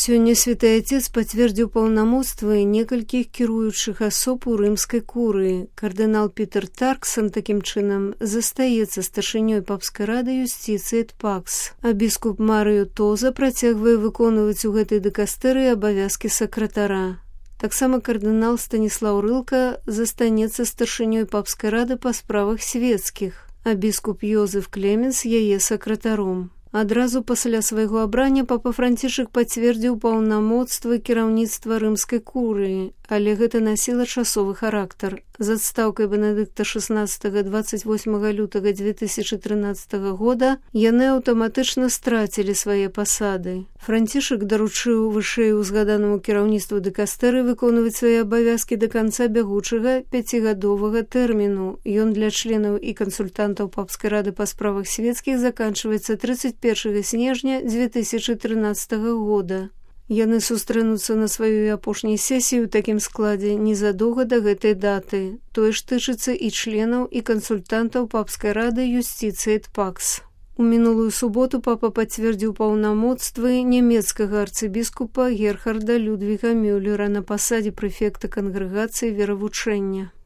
Сёння Святы Отец пацвердзіў паўнамоцтвы некалькіх кіруючых асоб у рымскай курыі. Кардынал Пітер Тарксон такім чынам застаецца старшынёй папскай рады юстыцыі эт пакс, а біскуп Марыё Тоза працягвае выконваць у гэтай дыкастэрыі абавязкі сакратара. Таксама кардынал Станіслаў Рылка застанецца старшынёй папскай рады па справах свецкіх, а біскуп Йозеф Клеменс яе сакратаром. Адразу пасля свайго абрання папа Францішак пацвердзіў паўнамоцтвы кіраўніцтва рымскай курыі, але гэта насіла часовы характар. З адстаўкай Бенедыкта XVI 28 лютага 2013 года яны аўтаматычна страцілі свае пасады. Францішак даручыў вышэй узгаданаму кіраўніцтву дыкастэры выконваць свае абавязкі да канца бягучага 5гадовага тэрміну. Ён для членаў і кансультантаў папскай рады па справах свецкіх заканчваецца 31 снежня 2013 года. Яны сустрэнуцца на сваёй апошняй сесіі ў такім складзе незадоўга да гэтай даты. Тое ж тычыцца і членаў і кансультантаў папскай рады юстыцыі эт пакс. У мінулую суботу папа пацвердзіў паўнамоцтвы нямецкага арцыбіскупа Герхарда Людвіга Мюллера на пасадзе прэфекта кангрэгацыі веравучэння.